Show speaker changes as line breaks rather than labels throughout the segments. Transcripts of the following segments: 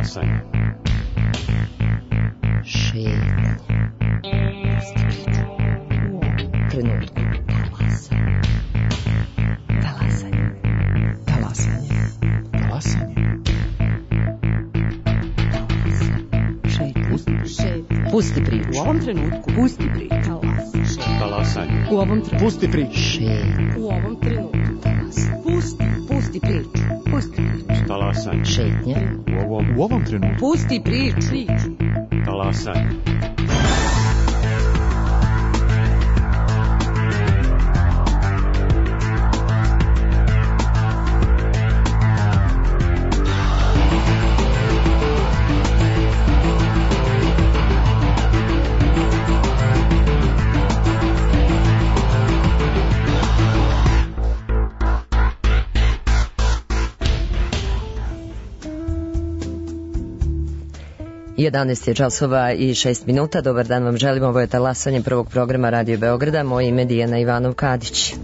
Talasanje.
Šetanje. Trenutku. Talasanje. Talasanje.
Talasanje.
Šetanje. Pusti priču.
U ovom trenutku. Pusti priču.
Talasanje.
U ovom trenutku.
Pusti priču.
Šetanje.
U ovom trenutku. Pusti priču. Pusti priču.
Talasanje.
Šetnja.
U ovom trenutku.
Pusti priču.
Talasanje.
Jedanaest je časova i 6 minuta. Dobar dan vam želim. Ovo je Talasanje prvog programa Radio Beograda. Moje ime je Dijana Ivanov-Kadić.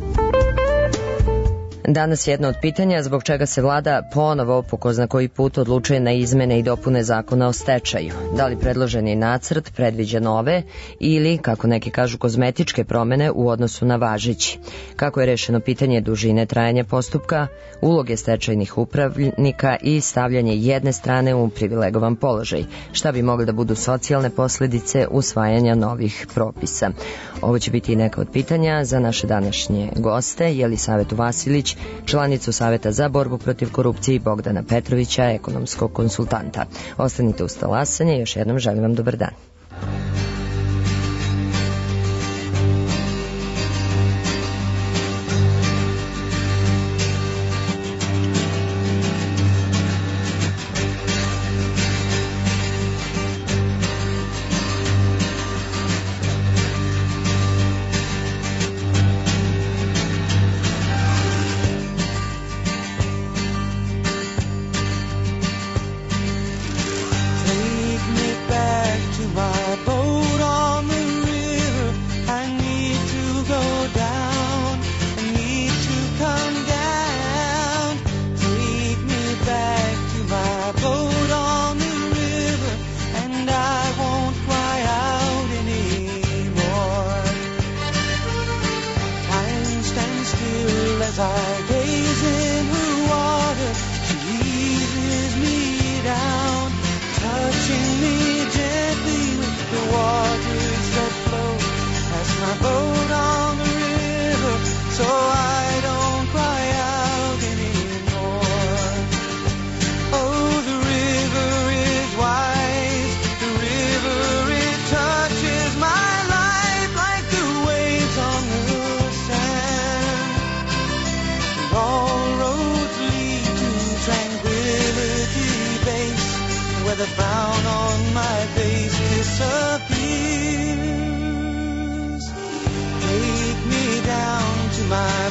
Danas jedno od pitanja zbog čega se vlada ponovo po ko zna koji put odlučuje na izmene i dopune zakona o stečaju. Da li predloženi nacrt predviđa nove ili, kako neki kažu, kozmetičke promene u odnosu na važeći? Kako je rešeno pitanje dužine trajanja postupka, uloge stečajnih upravnika i stavljanje jedne strane u privilegovan položaj? Šta bi mogle da budu socijalne posledice usvajanja novih propisa? Ovo će biti i neka od pitanja za naše današnje goste, Jelisavetu Vasilić, članicu Saveta za borbu protiv korupcije, i Bogdana Petrovića, ekonomskog konsultanta. Ostanite uz Talasanje i još jednom želim vam dobar dan.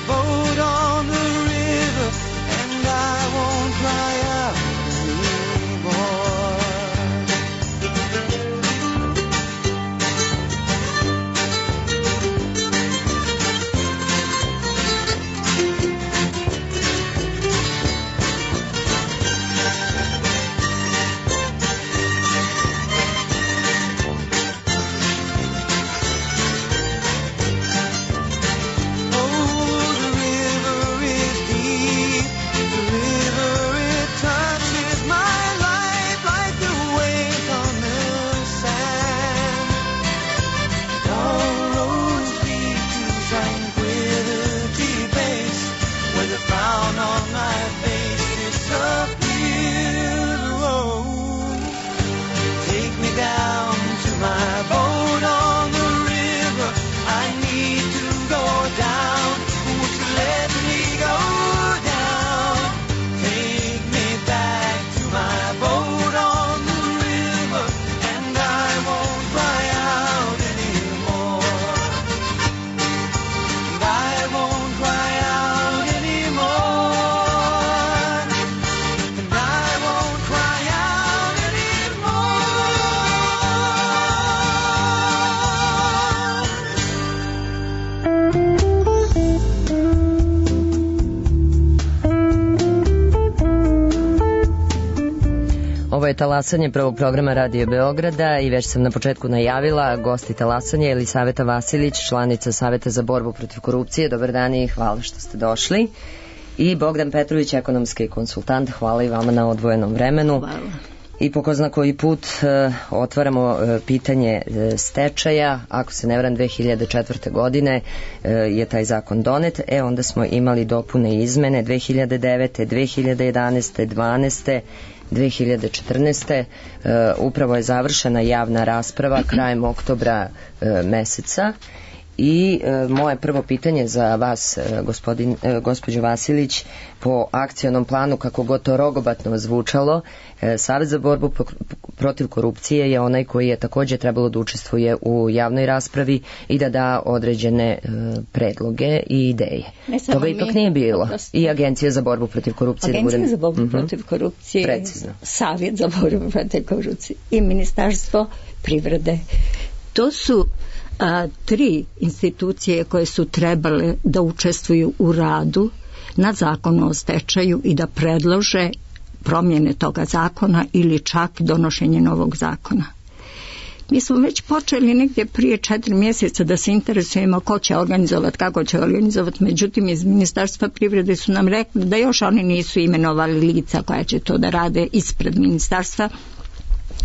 Oh,
je talasanje prvog programa Radio Beograda i već sam na početku najavila gosti talasanja Jelisaveta Vasilić, članica Saveta za borbu protiv korupcije. Dobar dan i hvala što ste došli. I Bogdan Petrović, ekonomski konsultant. Hvala i vama na odvojenom vremenu.
Hvala.
I po ko zna koji put otvaramo pitanje stečaja. Ako se ne varam, 2004. godine je taj zakon donet. Onda smo imali dopune i izmene 2009. 2011. 12. 2014. Upravo je završena javna rasprava krajem oktobra meseca. I moje prvo pitanje za vas, gospođo Vasilić, po akcionom planu, kako god to rogobatno zvučalo, Savet za borbu protiv korupcije je onaj koji je također trebalo da učestvuje u javnoj raspravi i da da određene predloge i ideje. Toga ipak nije bilo. I Agencija za borbu protiv korupcije.
Agencija za borbu protiv korupcije, precizno. Savjet za borbu protiv korupcije i Ministarstvo privrede. To su tri institucije koje su trebale da učestvuju u radu na zakonu o stečaju i da predlože promjene toga zakona ili čak donošenje novog zakona. Mi smo već počeli negdje prije 4 mjeseca da se interesujemo ko će organizovati, kako će organizovati, međutim iz Ministarstva privrede su nam rekli da još oni nisu imenovali lica koja će to da rade ispred ministarstva.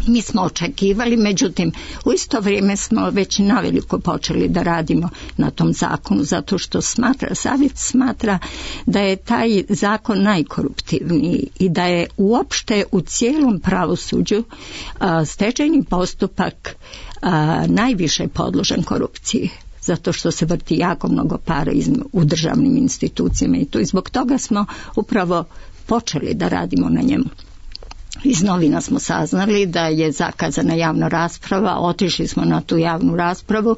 Mi smo očekivali, međutim u isto vrijeme smo već naveliko počeli da radimo na tom zakonu, zato što Savjet smatra da je taj zakon najkoruptivniji i da je uopšte u cijelom pravosuđu stečajni postupak najviše podložen korupciji, zato što se vrti jako mnogo para u državnim institucijama i zbog toga smo upravo počeli da radimo na njemu. Iz novina smo saznali da je zakazana javna rasprava, otišli smo na tu javnu raspravu.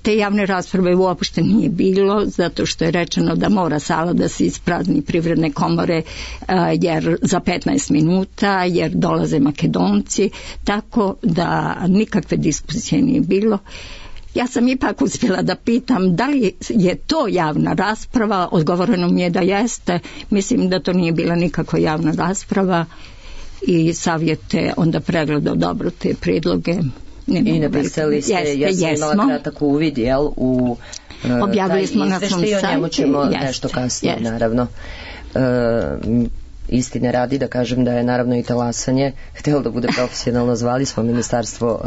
Te javne rasprave uopšte nije bilo, zato što je rečeno da mora sala da se isprazni Privredne komore jer za 15 minuta, jer dolaze Makedonci, tako da nikakve diskusije nije bilo. Ja sam ipak uspjela da pitam da li je to javna rasprava, odgovoreno mi je da jeste, mislim da to nije bila nikakva javna rasprava i Savjet je onda pregledao dobro te prijedloge.
I napisali ste, ja sam imala kratak uvid, jel, u
objavili smo na svom sajtu.
O njemu ćemo nešto kasnije, naravno. Istine radi da kažem da je naravno i talasanje htjelo da bude profesionalno, zvali smo Ministarstvo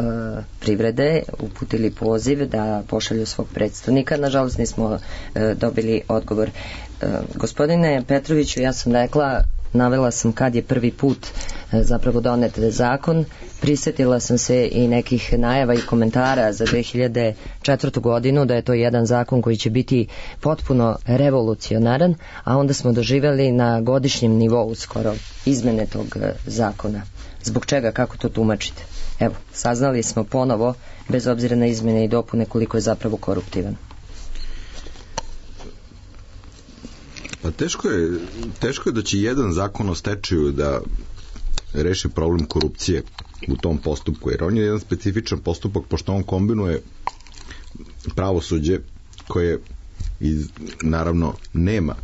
privrede, uputili poziv da pošalju svog predstavnika, nažalost nismo dobili odgovor. Gospodine Petroviću, ja sam rekla, navela sam kad je prvi put zapravo donet zakon, prisjetila sam se i nekih najava i komentara za 2004. godinu da je to jedan zakon koji će biti potpuno revolucionaran, a onda smo doživjeli na godišnjem nivou skoro izmene tog zakona. Zbog čega, kako to tumačite? Evo, saznali smo ponovo, bez obzira na izmene i dopune, koliko je zapravo koruptivan.
Pa teško je da će jedan zakon o stečaju da reši problem korupcije u tom postupku, jer on je jedan specifičan postupak, pošto on kombinuje pravosuđe koje naravno nema,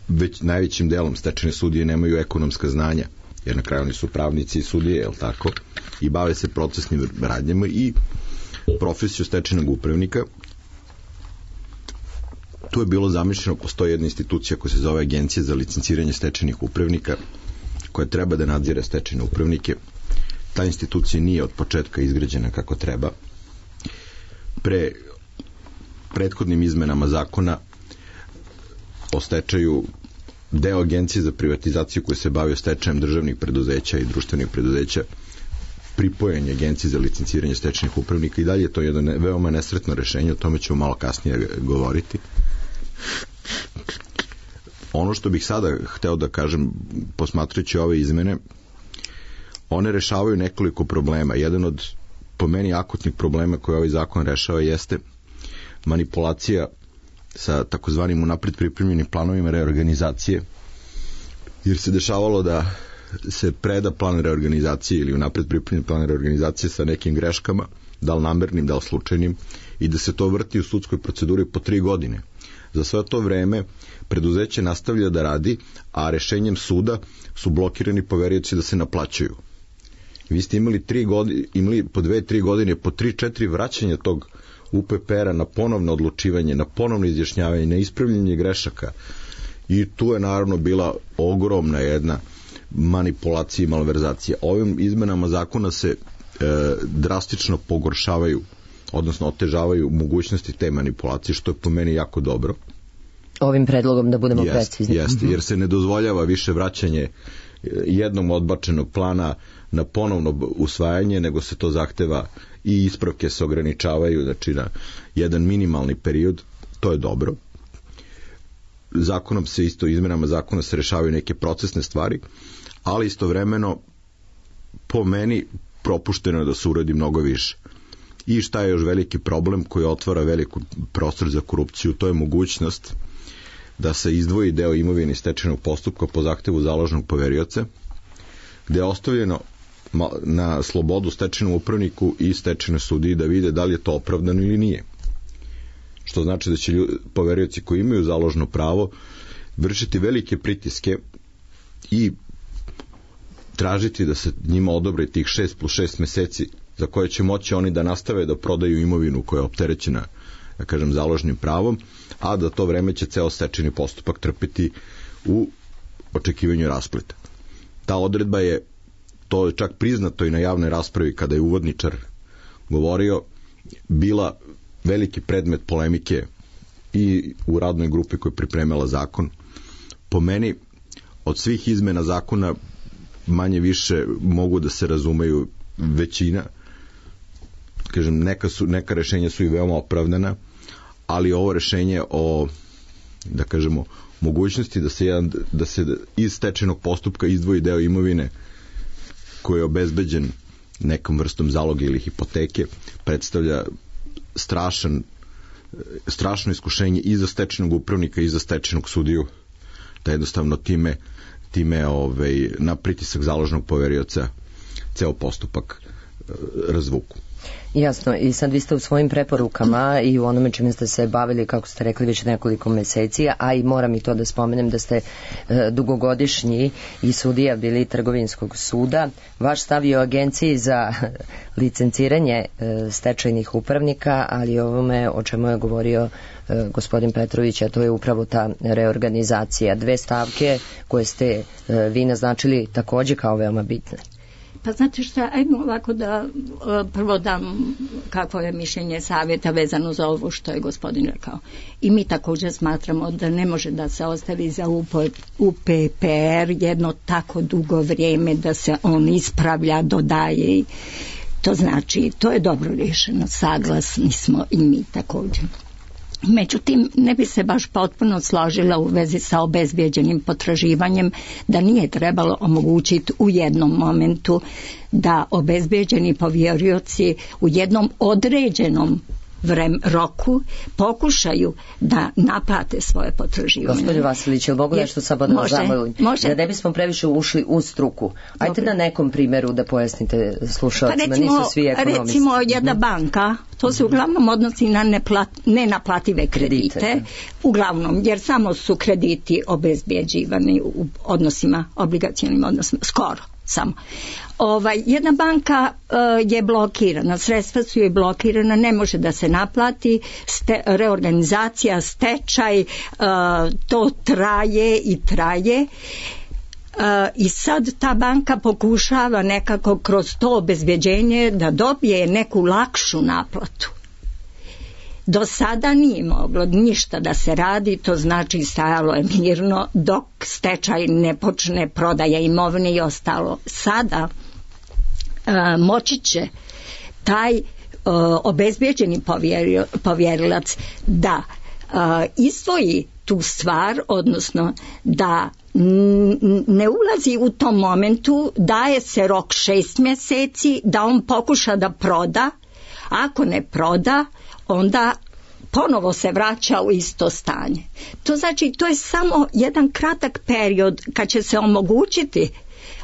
već najvećim delom stečajne sudije nemaju ekonomska znanja, jer na kraju oni su pravnici i sudije, jel tako, i bave se procesnim radnjama i profesiju stečajnog upravnika. Tu je bilo zamišljeno, postoji jedna institucija koja se zove Agencija za licenciranje stečajnih upravnika, koja treba da nadzire stečajne upravnike. Ta institucija nije od početka izgrađena kako treba. Prethodnim izmenama zakona o stečaju, deo Agencije za privatizaciju koji se bavio stečajem državnih preduzeća i društvenih preduzeća, pripojenje Agencije za licenciranje stečajnih upravnika, i dalje je to jedno veoma nesretno rešenje, o tome ćemo malo kasnije govoriti. Ono što bih sada hteo da kažem, posmatrajući ove izmene, one rešavaju nekoliko problema. Jedan od, po meni, akutnih problema koje ovaj zakon rešava jeste manipulacija sa takozvanim unapred pripremljenim planovima reorganizacije, jer se dešavalo da se preda plan reorganizacije ili unapred pripremljen plan reorganizacije sa nekim greškama, da li namernim, da li slučajnim, i da se to vrti u sudskoj proceduri po 3 godine. Za sve to vreme preduzeće nastavlja da radi, a rešenjem suda su blokirani poverioci da se naplaćuju. Vi ste imali po 2-3 godine, po 3-4 vraćanja tog UPPR-a na ponovno odlučivanje, na ponovno izjašnjavanje, na ispravljanje grešaka. I tu je naravno bila ogromna jedna manipulacija i malverzacija. Ovim izmenama zakona se drastično pogoršavaju, odnosno otežavaju mogućnosti te manipulacije, što je po meni jako dobro.
Ovim predlogom da budemo precizni.
Jeste, jer se ne dozvoljava više vraćanje jednom odbačenog plana na ponovno usvajanje, nego se to zahteva i ispravke se ograničavaju, znači na jedan minimalni period, to je dobro. Zakonom se isto, izmenama zakona se rešavaju neke procesne stvari, ali istovremeno po meni propušteno je da se uradi mnogo više. I šta je još veliki problem koji otvara veliki prostor za korupciju, to je mogućnost da se izdvoji deo imovine stečajnog postupka po zahtevu založnog poverioca, gde je ostavljeno na slobodu stečajnom upravniku i stečajnoj sudiji da vide da li je to opravdano ili nije. Što znači da će poverioci koji imaju založno pravo vršiti velike pritiske i tražiti da se njima odobre tih 6+6 meseci za koje će moći oni da nastave da prodaju imovinu koja je opterećena, da kažem, založnim pravom, a da to vreme će ceo stečajni postupak trpeti u očekivanju raspleta. Ta odredba je, to je čak priznato i na javnoj raspravi kada je uvodničar govorio, bila veliki predmet polemike i u radnoj grupi koja je pripremala zakon. Po meni, od svih izmena zakona manje više mogu da se razumeju većina. Kažem, neka rešenja su i veoma opravdana, ali ovo rešenje o, da kažemo, mogućnosti da se iz stečajnog postupka izdvoji deo imovine koji je obezbeđen nekom vrstom zaloga ili hipoteke, predstavlja strašno iskušenje i za stečajnog upravnika i za stečajnog sudiju, da jednostavno time na pritisak založnog poverioca ceo postupak razvuku.
Jasno, i sad vi ste u svojim preporukama i u onome čime ste se bavili, kako ste rekli, već nekoliko meseci, a i moram i to da spomenem da ste dugogodišnji i sudija bili Trgovinskog suda. Vaš stav je o Agenciji za licenciranje stečajnih upravnika, ali ovome o čemu je govorio gospodin Petrović, a to je upravo ta reorganizacija. 2 stavke koje ste vi naznačili takođe kao veoma bitne.
Pa znate šta, ajmo ovako da prvo dam kakvo je mišljenje savjeta vezano za ovo što je gospodin rekao. I mi također smatramo da ne može da se ostavi za UPPR jedno tako dugo vrijeme da se on ispravlja, dodaje. To znači, to je dobro rješeno, saglasni smo i mi također. Međutim, ne bi se baš potpuno složila u vezi sa obezbijeđenim potraživanjem, da nije trebalo omogućiti u jednom momentu da obezbijeđeni poverioci u jednom određenom roku pokušaju da naplate svoje potraživanje.
Gospodin Vasilić, jel mogu nešto samo da vas zamolim? Da ne bismo previše ušli u struku. Ajde na nekom primjeru da pojasnite slušalcima, nisu svi ekonomisti.
Recimo jedna banka, to se uglavnom odnosi na nenaplative kredite, uglavnom, jer samo su krediti obezbjeđivani u odnosima, obligacionim odnosima, skoro samo. Jedna banka je blokirana, sredstva su joj blokirana, ne može da se naplati, reorganizacija, stečaj, to traje i traje. I sad ta banka pokušava nekako kroz to obezbeđenje da dobije neku lakšu naplatu. Do sada nije moglo ništa da se radi, to znači stajalo je mirno dok stečaj ne počne, prodaja imovine i ostalo. Sada moći će taj obezbeđeni povjerilac da izdvoji tu stvar, odnosno da ne ulazi u tom momentu, daje se rok 6 mjeseci da on pokuša da proda. Ako ne proda, onda ponovo se vraća u isto stanje. To znači, to je samo jedan kratak period kad će se omogućiti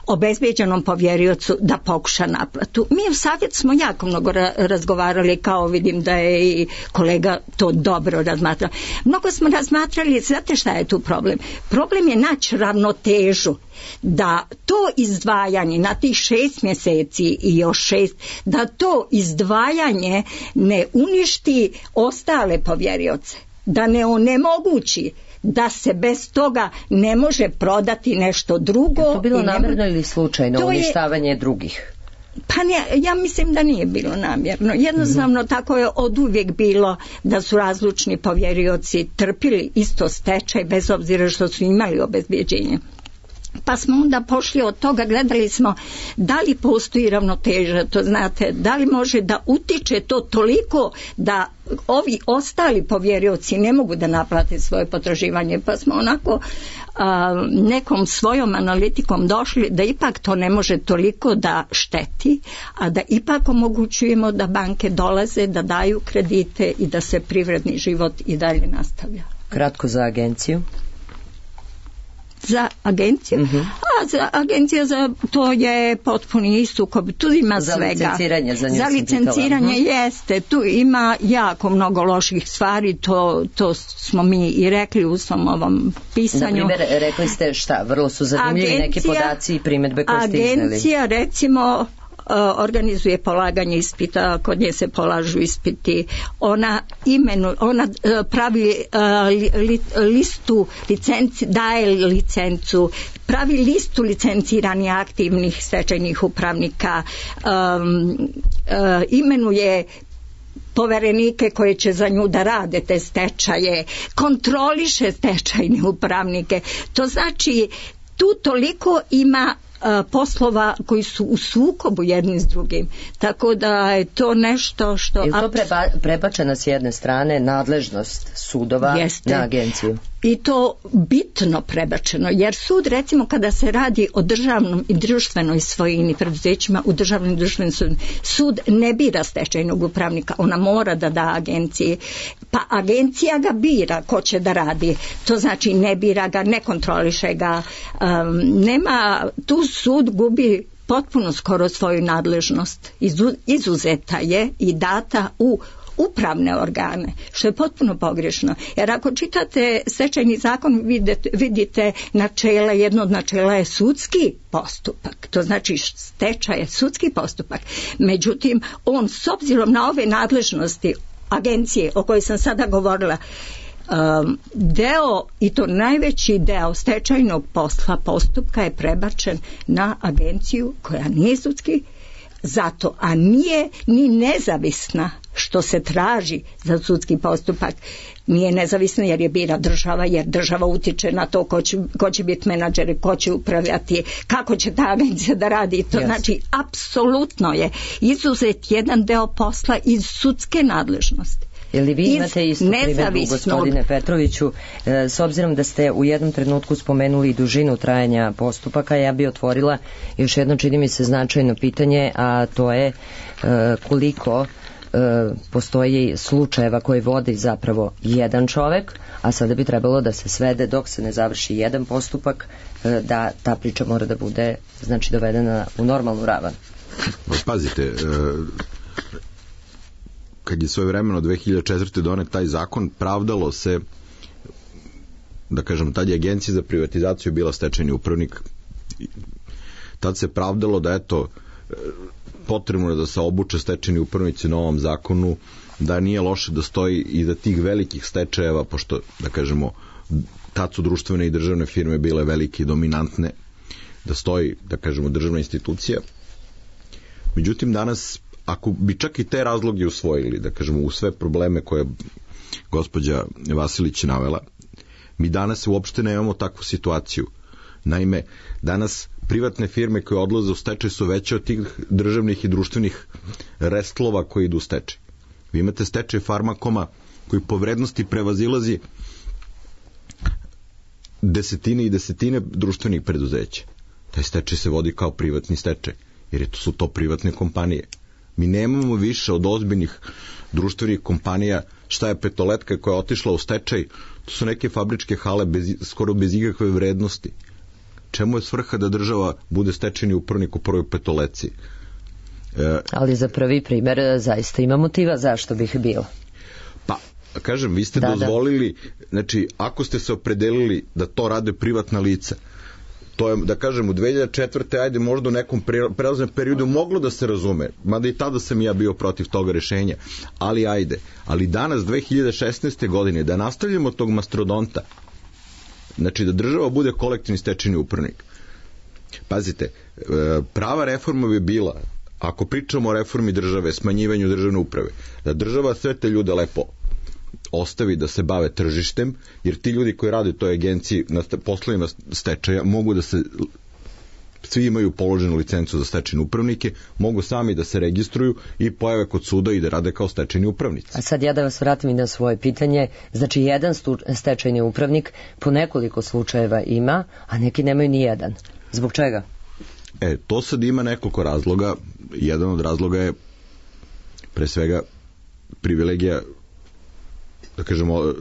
obezbeđenom povjeriocu da pokuša naplatu. Mi u savjet smo jako mnogo razgovarali, kao vidim da je i kolega to dobro razmatrao. Mnogo smo razmatrali, znate šta je tu problem? Problem je naći ravnotežu, da to izdvajanje na tih 6 mjeseci i još 6, da to izdvajanje ne uništi ostale povjerioce, da ne onemogući da se bez toga ne može prodati nešto drugo.
Je to bilo namjerno ili slučajno uništavanje drugih?
Pa ne, ja mislim da nije bilo namjerno. Jednostavno tako je oduvijek bilo da su razlučni povjerioci trpili isto stečaj bez obzira što su imali obezbjeđenje. Pa smo onda pošli od toga, gledali smo da li postoji ravnoteža, to znate, da li može da utiče to toliko da ovi ostali povjerioci ne mogu da naplate svoje potraživanje, pa smo onako nekom svojom analitikom došli da ipak to ne može toliko da šteti, a da ipak omogućujemo da banke dolaze, da daju kredite i da se privredni život i dalje nastavlja.
Kratko za agenciju.
Za agenciju? A agencija za to je potpuni sukob. Tu ima
za
svega.
Licenciranje,
za licenciranje jeste. Tu ima jako mnogo loših stvari. To smo mi i rekli u svom ovom pisanju.
Na primjer, rekli ste šta? Vrlo su zanimljivi neki podaci i primjedbe koje ste izneli.
Agencija, recimo, organizuje polaganje ispita, kod nje se polažu ispiti, ona pravi listu licenci, daje licencu, pravi listu licenciranih aktivnih stečajnih upravnika, imenuje poverenike koje će za nju da rade te stečaje, kontroliše stečajne upravnike. To znači tu toliko ima poslova koji su u sukobu jedni s drugim. Tako da je to nešto što...
Je to prebačena s jedne strane nadležnost sudova na agenciju?
I to bitno prebačeno, jer sud, recimo, kada se radi o državnom i društvenoj svojini preduzećima, u državnom i društvenom sud ne bira stečajnog upravnika, ona mora da da agenciji, pa agencija ga bira ko će da radi, to znači ne bira ga, ne kontroliše ga, nema, tu sud gubi potpuno skoro svoju nadležnost, izuzeta je i data u upravne organe, što je potpuno pogrešno. Jer ako čitate stečajni zakon, vidite načela, jedno od načela je sudski postupak. To znači stečaj je sudski postupak. Međutim, on s obzirom na ove nadležnosti agencije o kojoj sam sada govorila, deo, i to najveći deo stečajnog posla, postupka je prebačen na agenciju koja nije sudski zato, a nije ni nezavisna, što se traži za sudski postupak. Nije nezavisna jer je bira država, jer država utiče na to ko će biti menadžer, ko će upravljati, kako će ta agencija da radi. To znači, apsolutno je izuzet jedan deo posla iz sudske nadležnosti.
Ili vi imate istu primjedbu, gospodine Petroviću, s obzirom da ste u jednom trenutku spomenuli dužinu trajanja postupaka, ja bi otvorila još jedno, čini mi se, značajno pitanje, a to je koliko postoji slučajeva koji vodi zapravo jedan čovek, a sada bi trebalo da se svede dok se ne završi jedan postupak, da ta priča mora da bude, znači, dovedena u normalnu ravan.
Pazite, kad je svoje vremeno 2004. donet taj zakon, pravdalo se, da kažem, tad je Agencija za privatizaciju bila stečajni upravnik, tad se pravdalo da eto, potrebno je da se obuče stečajni upravnici na ovom zakonu, da nije loše da stoji i da tih velikih stečajeva, pošto, da kažemo, tad su društvene i državne firme bile velike i dominantne, da stoji, da kažemo, državna institucija. Međutim, danas, ako bi čak i te razloge usvojili, da kažemo, u sve probleme koje gospođa Vasilić navela, mi danas uopšte nemamo takvu situaciju. Naime, danas privatne firme koje odlaze u stečaj su veće od tih državnih i društvenih restlova koji idu u stečaj. Vi imate stečaj Farmakoma koji po vrednosti prevazilazi desetine i desetine društvenih preduzeća. Taj stečaj se vodi kao privatni stečaj, jer su to privatne kompanije. Mi nemamo više od ozbiljnih društvenih kompanija. Šta je Petoletka koja je otišla u stečaj? To su neke fabričke hale skoro bez ikakve vrednosti. čemu je svrha da država bude stečajni upravnik u prvoj petoleci?
Ali za prvi primer zaista ima motiva zašto bih bilo.
Pa, kažem, vi ste dozvolili, znači, ako ste se opredelili da to rade privatna lica, to je, da kažem, u 2004. ajde možda u nekom prelaznom periodu moglo da se razume, mada i tada sam ja bio protiv toga rešenja, ali ajde. Ali danas, 2016. godine, da nastavljamo tog mastodonta, znači da država bude kolektivni stečajni upravnik. Pazite, prava reforma bi bila, ako pričamo o reformi države, smanjivanju državne uprave, da država sve te ljude lepo ostavi da se bave tržištem, jer ti ljudi koji rade u toj agenciji na poslovima stečaja mogu da se, svi imaju položenu licencu za stečajne upravnike, mogu sami da se registruju i pojave kod suda i da rade kao stečajni upravnici.
A sad ja da vas vratim i na svoje pitanje, znači jedan stečajni upravnik po nekoliko slučajeva ima, a neki nemaju ni jedan. Zbog čega?
To sad ima nekoliko razloga. Jedan od razloga je pre svega privilegija, da kažemo,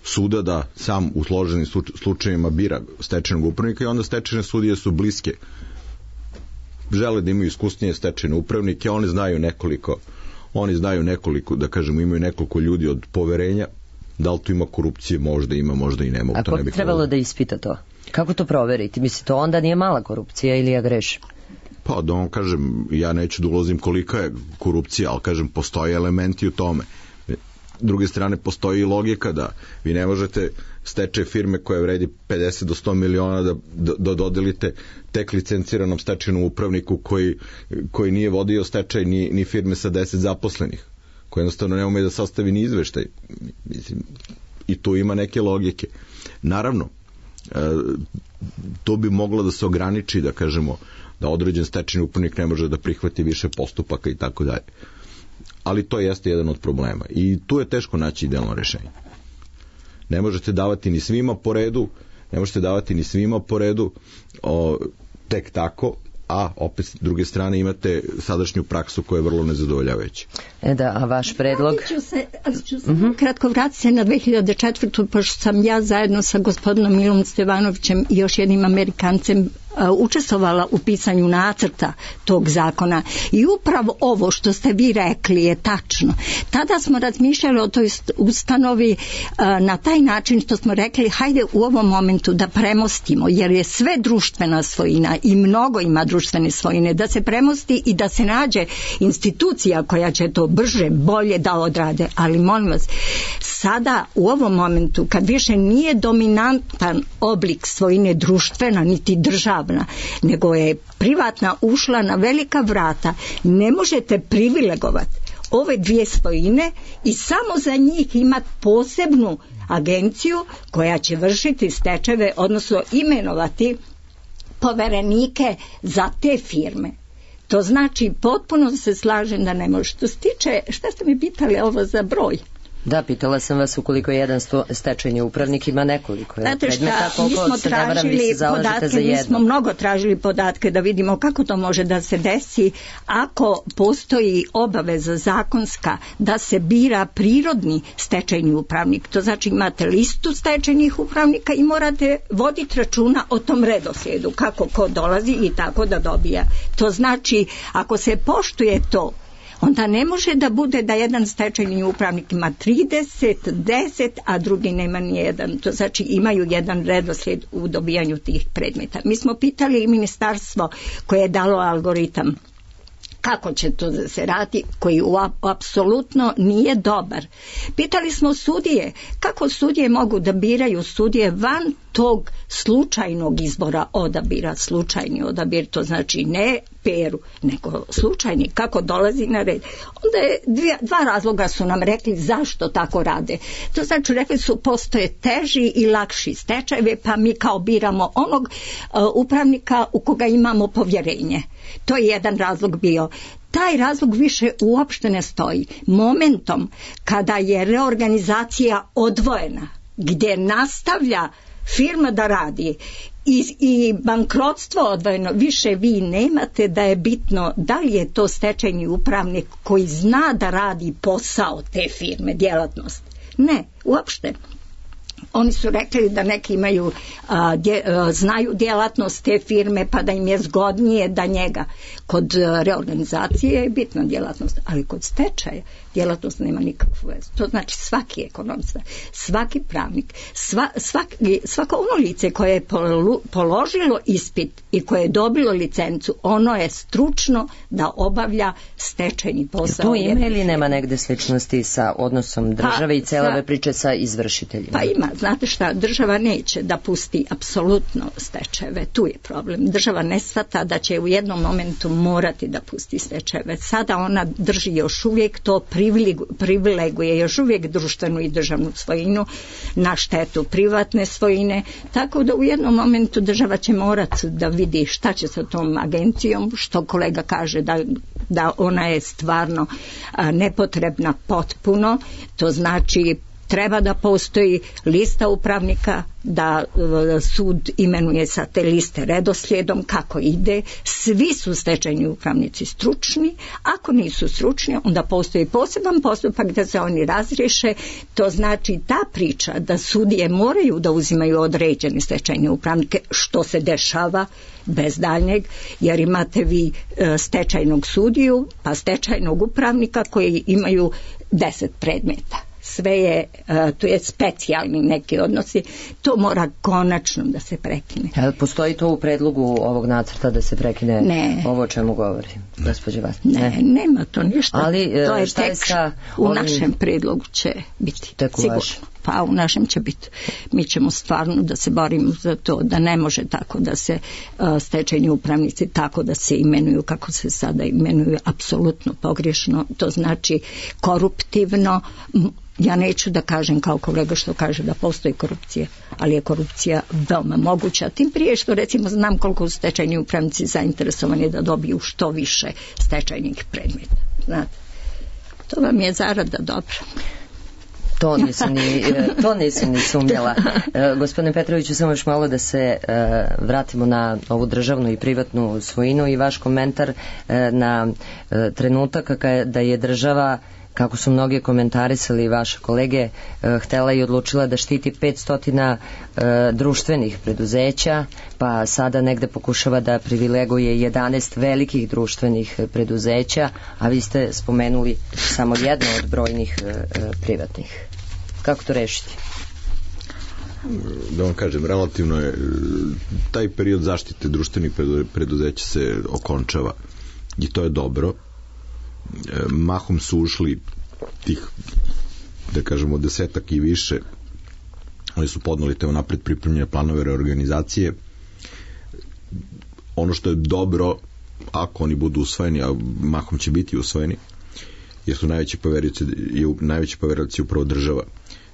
suda da sam u složenim slučajevima bira stečajnog upravnika i onda stečajne sudije su bliske. Žele da imaju iskusnije stečajne upravnike, oni znaju nekoliko, da kažemo, imaju nekoliko ljudi od poverenja. Da li tu ima korupcije? Možda ima, možda i nema.
A ko bi trebalo da ispita to? Kako to proveriti? Misli, to onda nije mala korupcija ili ja grešim?
Pa da vam kažem, ja neću da ulazim kolika je korupcija, ali kažem, postoje elementi u tome. Druge strane, postoji i logika da vi ne možete stečaj firme koja vredi 50 do 100 miliona da dodelite tek licenciranom stečajnom upravniku koji nije vodio stečaj ni firme sa 10 zaposlenih, koji jednostavno ne ume da sastavi ni izveštaj. Mislim, i tu ima neke logike. Naravno, to bi moglo da se ograniči, da kažemo, da određen stečajni upravnik ne može da prihvati više postupaka i tako dalje. Ali to jeste jedan od problema. I tu je teško naći idealno rešenje. Ne možete davati ni svima po redu, tek tako, a opet s druge strane imate sadašnju praksu koja je vrlo nezadovoljavajuća.
A vaš predlog?
ću se kratko vratiti se na 2004. pošto sam ja zajedno sa gospodinom Milom Stevanovićem i još jednim Amerikancem učestvovala u pisanju nacrta tog zakona i upravo ovo što ste vi rekli je tačno. Tada smo razmišljali o toj ustanovi na taj način što smo rekli hajde u ovom momentu da premostimo, jer je sve društvena svojina i mnogo ima društvene svojine, da se premosti i da se nađe institucija koja će to brže, bolje da odrade. Ali molim vas, sada u ovom momentu kad više nije dominantan oblik svojine društvena niti državna, nego je privatna ušla na velika vrata, ne možete privilegovati ove dvije svojine i samo za njih imati posebnu agenciju koja će vršiti stečajeve, odnosno imenovati poverenike za te firme. To znači, potpuno se slažem da ne može. Što se tiče, šta ste mi pitali ovo za broj?
Da, pitala sam vas ukoliko jedan stečajni upravnik ima nekoliko.
Znate šta, mi smo tražili podatke, mi smo mnogo tražili podatke da vidimo kako to može da se desi ako postoji obaveza zakonska da se bira prirodni stečajni upravnik. To znači imate listu stečajnih upravnika i morate voditi računa o tom redoslijedu, kako ko dolazi i tako da dobija. To znači, ako se poštuje to, onda ne može da bude da jedan stečajni upravnik ima 30, 10, a drugi nema ni jedan. To znači imaju jedan redoslijed u dobijanju tih predmeta. Mi smo pitali i ministarstvo koje je dalo algoritam kako će to da se radi, koji apsolutno nije dobar. Pitali smo sudije, kako sudije mogu da biraju sudije van tog slučajnog izbora, odabira, slučajni odabir, to znači ne peru, nego slučajni, kako dolazi na red. Onda je dva razloga su nam rekli zašto tako rade. To znači rekli su postoje teži i lakši stečajeve, pa mi kao biramo onog upravnika u koga imamo povjerenje. To je jedan razlog bio. Taj razlog više uopšte ne stoji. Momentom kada je reorganizacija odvojena, gdje nastavlja firma da radi i bankrotstvo odvojeno, više vi nemate da je bitno da li je to stečajni upravnik koji zna da radi posao te firme, djelatnost. Ne, uopšte. Oni su rekli da neki imaju, znaju djelatnost te firme pa da im je zgodnije da njega. Kod reorganizacije je bitna djelatnost, ali kod stečaja djelatnost nema nikakvu vezu. To znači svaki ekonomista, svaki pravnik, svako ono lice koje je položilo ispit i koje je dobilo licencu, ono je stručno da obavlja stečajni posao.
Tu ima ili nema negde sličnosti sa odnosom države i cele ove priče sa izvršiteljima?
Pa ima, znate šta, država neće da pusti apsolutno stečajeve, tu je problem. Država ne shvata da će u jednom momentu morati da pusti stečajeve. Sada ona drži još uvijek to privileguje još uvijek društvenu i državnu svojinu na štetu privatne svojine, tako da u jednom momentu država će morati da vidi šta će sa tom agencijom, što kolega kaže da ona je stvarno nepotrebna potpuno, to znači treba da postoji lista upravnika, da sud imenuje sa te liste redoslijedom kako ide. Svi su stečajni upravnici stručni, ako nisu stručni onda postoji poseban postupak da se oni razriješe. To znači ta priča da sudije moraju da uzimaju određene stečajne upravnike, što se dešava bez daljnjeg, jer imate vi stečajnog sudiju pa stečajnog upravnika koji imaju 10 predmeta. Sve je, to je specijalni neki odnosi, to mora konačno da se prekine.
Postoji to u predlogu ovog nacrta da se prekine ovo o čemu govori gospođa Vasić?
Ne, nema to ništa. Ali, to je tek u našem predlogu će biti. Sigurno. Pa u našem će biti. Mi ćemo stvarno da se borimo za to, da ne može tako da se stečajni upravnici tako da se imenuju kako se sada imenuju, apsolutno pogrešno, to znači koruptivno. Ja neću da kažem kao kolega što kaže da postoji korupcija, ali je korupcija veoma moguća, tim prije što recimo znam koliko su stečajni upravnici zainteresovani da dobiju što više stečajnih predmeta. Znate, to vam je zarada dobra.
To nisam ni sumnjala. Gospodine Petroviću, samo još malo da se vratimo na ovu državnu i privatnu svojinu i vaš komentar na trenutak da je država, kako su mnogi komentarisali vaše kolege, htela i odlučila da štiti 500 društvenih preduzeća, pa sada negde pokušava da privileguje 11 velikih društvenih preduzeća, a vi ste spomenuli samo jedno od brojnih privatnih. Kako to rešiti?
Da vam kažem, relativno je taj period zaštite društvenih preduzeća se okončava i to je dobro. Mahom su ušli tih, da kažemo, 10 i više. Oni su podneli te unapred pripremljene planove reorganizacije. Ono što je dobro, ako oni budu usvojeni, a mahom će biti usvojeni, jer su najveći poverioci upravo država.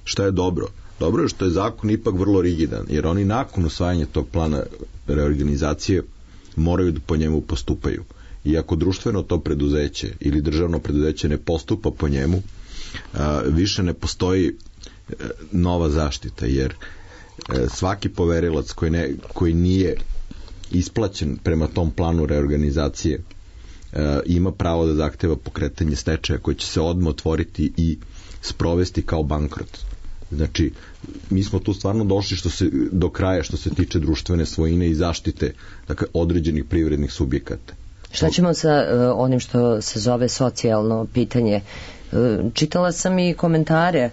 Šta je dobro? Dobro je što je zakon ipak vrlo rigidan, jer oni nakon usvajanja tog plana reorganizacije moraju da po njemu postupaju. I ako društveno to preduzeće ili državno preduzeće ne postupa po njemu, više ne postoji nova zaštita, jer svaki poverilac koji nije isplaćen prema tom planu reorganizacije ima pravo da zahteva pokretanje stečaja koji će se odmah otvoriti i sprovesti kao bankrot. Znači, mi smo tu stvarno došli do kraja što se tiče društvene svojine i zaštite, dakle, određenih privrednih subjekata.
Šta ćemo sa onim što se zove socijalno pitanje? Čitala sam i komentare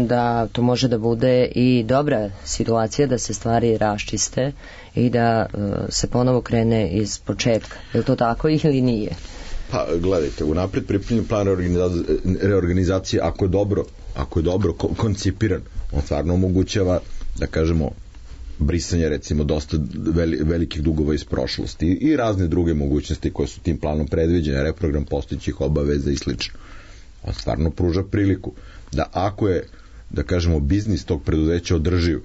da to može da bude i dobra situacija da se stvari raščiste i da se ponovo krene iz početka. Je li to tako ili nije?
Pa gledajte, unapred pripremljen plan reorganizacije, ako je dobro koncipiran, on stvarno omogućava, da kažemo, brisanje recimo dosta velikih dugova iz prošlosti i razne druge mogućnosti koje su tim planom predviđene, reprogram postojećih obaveza i slično. On stvarno pruža priliku da ako je, da kažemo, biznis tog preduzeća održiv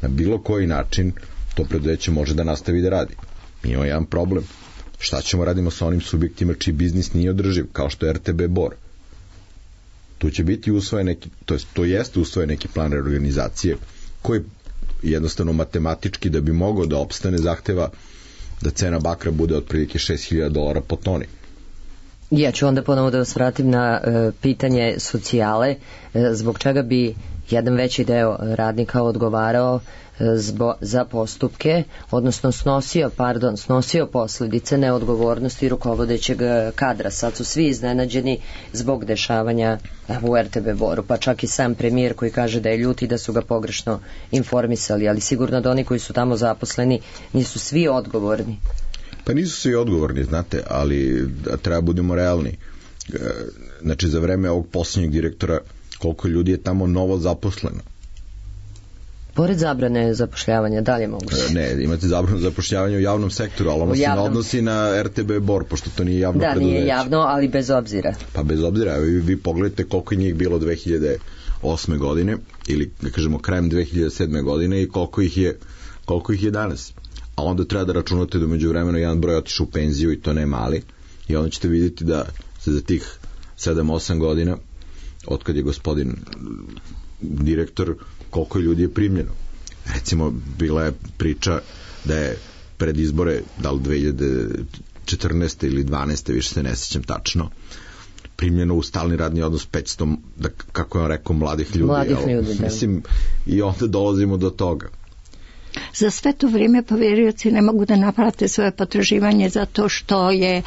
na bilo koji način, to preduzeće može da nastavi da radi. Mi imamo jedan problem. Šta ćemo radimo sa onim subjektima čiji biznis nije održiv, kao što je RTB Bor? Tu će biti usvojen neki, to jeste usvojen neki plan reorganizacije koji jednostavno matematički da bi mogao da opstane zahteva da cena bakra bude otprilike $6.000 po toni.
Ja ću onda ponovo da vas vratim na pitanje socijale. Zbog čega bi jedan veći deo radnika odgovarao za postupke, odnosno snosio posljedice neodgovornosti rukovodećeg kadra. Sad su svi iznenađeni zbog dešavanja u RTB Boru, pa čak i sam premijer koji kaže da je ljut i da su ga pogrešno informisali, ali sigurno da oni koji su tamo zaposleni nisu svi odgovorni.
Pa nisu svi odgovorni, znate, ali treba budemo realni. Znači, za vreme ovog posljednjeg direktora, koliko ljudi je tamo novo zaposleno?
Pored zabrane zapošljavanja, da li je moguće?
Ne, imate zabranu zapošljavanja u javnom sektoru, ali ono se ne odnosi na RTB Bor, pošto to nije javno preduzeće.
Da, nije javno, ali bez obzira.
Pa bez obzira, vi pogledajte koliko je njih bilo 2008. godine, ili da kažemo krajem 2007. godine i koliko ih je danas. A onda treba da računate da među vremenu jedan broj otišao u penziju i to ne mali, i onda ćete vidjeti da se za tih 7-8 godina, otkad je gospodin direktor, koliko ljudi je primljeno. Recimo, bila je priča da je pred izbore, da li 2014. ili 12. više se ne sjećam tačno, primljeno u stalni radni odnos 500, kako je on rekao, mladih ljudi. Mislim, i onda dolazimo do toga.
Za sve to vrijeme poverioci ne mogu da naplate svoje potraživanje zato što je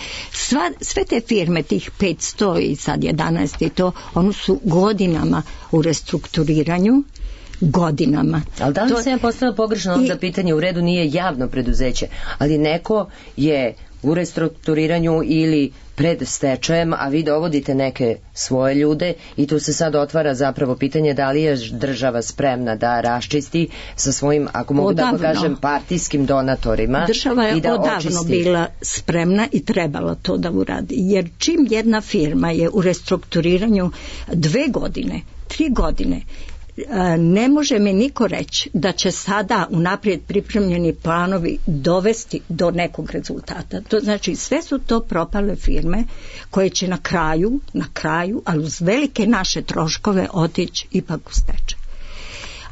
sve te firme, tih 500 i sad 11 i to, oni su godinama u restrukturiranju, godinama.
Ali da li se ja postavila pogrešno onda pitanje, u redu nije javno preduzeće, ali neko je u restrukturiranju ili pred stečajem, a vi dovodite neke svoje ljude i tu se sad otvara zapravo pitanje da li je država spremna da raščisti sa svojim, ako mogu tako kažem, partijskim donatorima.
Država je odavno bila spremna i trebala to da uradi, jer čim jedna firma je u restrukturiranju 2 godine, 3 godine, ne može mi niko reći da će sada unaprijed pripremljeni planovi dovesti do nekog rezultata. To znači sve su to propale firme koje će na kraju, ali uz velike naše troškove otići ipak u stečaj.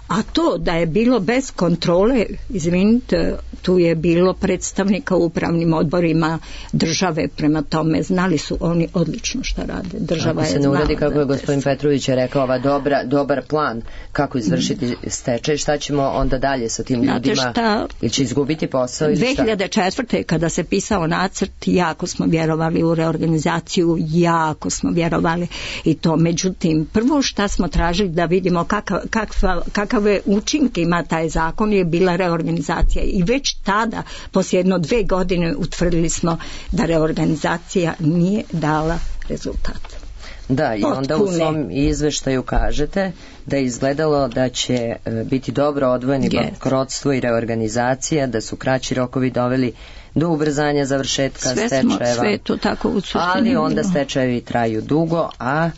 A to da je bilo bez kontrole, izvinite, tu je bilo predstavnika u upravnim odborima države, prema tome znali su oni odlično šta rade. Država
ako se ne uradi, kako je gospodin Petrović rekao, ova dobar plan kako izvršiti stečaj, šta ćemo onda dalje sa tim ljudima? Ili će izgubiti posao?
2004. kada se pisao nacrt, jako smo vjerovali u reorganizaciju, jako smo vjerovali i to. Međutim, prvo šta smo tražili da vidimo kakve učinke ima taj zakon je bila reorganizacija i već tada, poslije 1-2 godine, utvrdili smo da reorganizacija nije dala rezultat.
Da, i onda u svom izveštaju kažete da je izgledalo da će biti dobro odvojeni bankrotstvo i reorganizacija, da su kraći rokovi doveli do ubrzanja završetka stečajeva.
Sve to tako
ali onda stečajevi traju dugo, a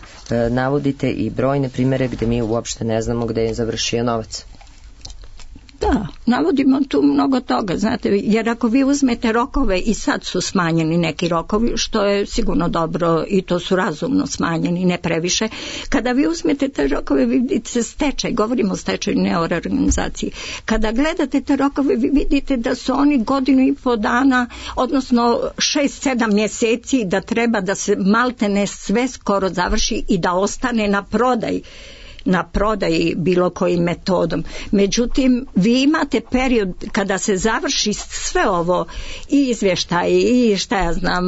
navodite i brojne primjere gdje mi uopšte ne znamo gdje je završio novac.
Da, navodimo tu mnogo toga, znate, jer ako vi uzmete rokove i sad su smanjeni neki rokovi, što je sigurno dobro i to su razumno smanjeni, ne previše. Kada vi uzmete te rokove, vi vidite stečaj, govorimo o stečaju, ne o reorganizaciji. Kada gledate te rokove, vi vidite da su oni 1,5 dana, odnosno 6-7 mjeseci, da treba da se maltene sve skoro završi i da ostane na prodaji bilo kojim metodom. Međutim, vi imate period kada se završi sve ovo, i izvještaj, i šta ja znam,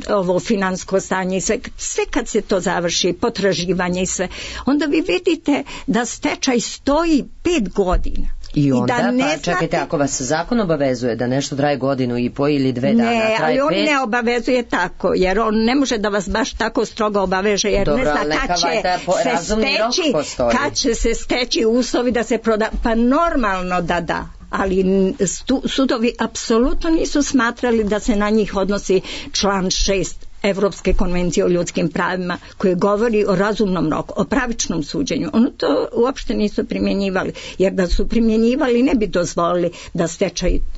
ovo financijsko stanje i sve kad se to završi, potraživanje i sve, onda vi vidite da stečaj stoji 5 godina.
I onda, čekajte, ako vas zakon obavezuje da nešto traje 1,5 ili 2 dana,
ne,
traje 5...
ali on ne obavezuje tako, jer on ne može da vas baš tako strogo obaveže, jer ne zna kad će se steći uslovi da se proda, pa normalno da, ali sudovi apsolutno nisu smatrali da se na njih odnosi član 6 Evropske konvencije o ljudskim pravima koje govori o razumnom roku, o pravičnom suđenju. Ono to uopšte nisu primjenjivali, jer da su primjenjivali ne bi dozvolili da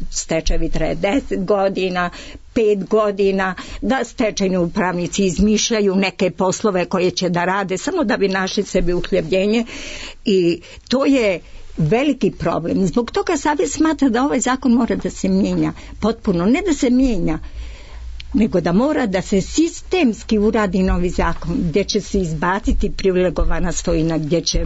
stečajevi traje 10 godina, 5 godina, da stečajni upravnici izmišljaju neke poslove koje će da rade samo da bi našli sebi uhljebljenje, i to je veliki problem. Zbog toga savjet smatra da ovaj zakon mora da se mijenja potpuno, ne da se mijenja, nego da mora da se sistemski uradi novi zakon gdje će se izbaciti privilegovana svojina, gdje će